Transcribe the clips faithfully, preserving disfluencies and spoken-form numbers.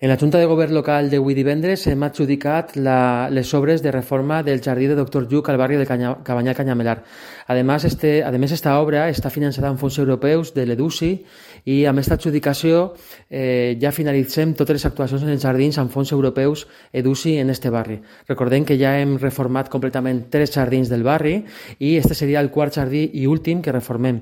En la Junta de Govern local d'avui divendres hem adjudicat la, les obres de reforma del jardí de doctor Lluc al barri de Canya, Cabanyal Canyamelar. Además, este, además, esta obra està finançada amb fons europeus de l'EDUSI i amb aquesta adjudicació eh, ja finalitzem totes les actuacions en els jardins amb fons europeus EDUSI en este barri. Recordem que ja hem reformat completament tres jardins del barri i este seria el quart jardí i últim que reformem.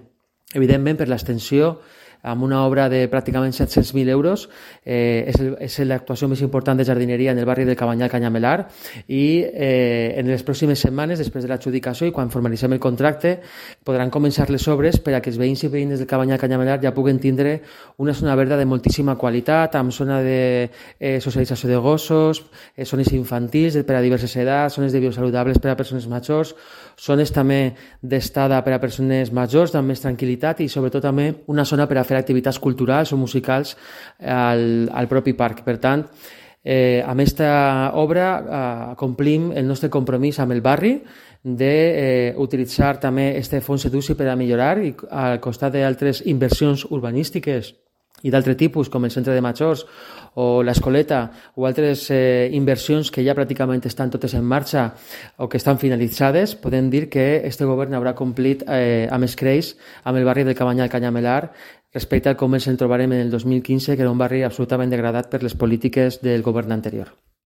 Evidentment, per l'extensió, amb una obra de pràcticament set-cents mil euros. Eh, és, el, és l'actuació més important de jardineria en el barri del Cabanyal Canyamelar i eh, en les pròximes setmanes, després de l'adjudicació i quan formalitzem el contracte, podran començar les obres per a que els veïns i veïnes del Cabanyal Canyamelar ja puguen tindre una zona verda de moltíssima qualitat, amb zona de eh, socialització de gossos, eh, zones infantils per a diverses edats, zones de biosaludables per a persones majors, zones també d'estada per a persones majors, amb més tranquil·litat i sobretot també una zona per a fer activitats culturals o musicals al, al propi parc. Per tant, eh, amb aquesta obra eh, complim el nostre compromís amb el barri d'utilitzar eh, també este fons EDUSI per a millorar i al costat d'altres inversions urbanístiques i d'altre tipus, com el centre de majors o l'escoleta o altres eh, inversions que ja pràcticament estan totes en marxa o que estan finalitzades, podem dir que este govern haurà complit eh, amb escreix amb el barri del Cabanyal Canyamelar respecte al com ens en trobarem en el dos mil quinze, que era un barri absolutament degradat per les polítiques del govern anterior.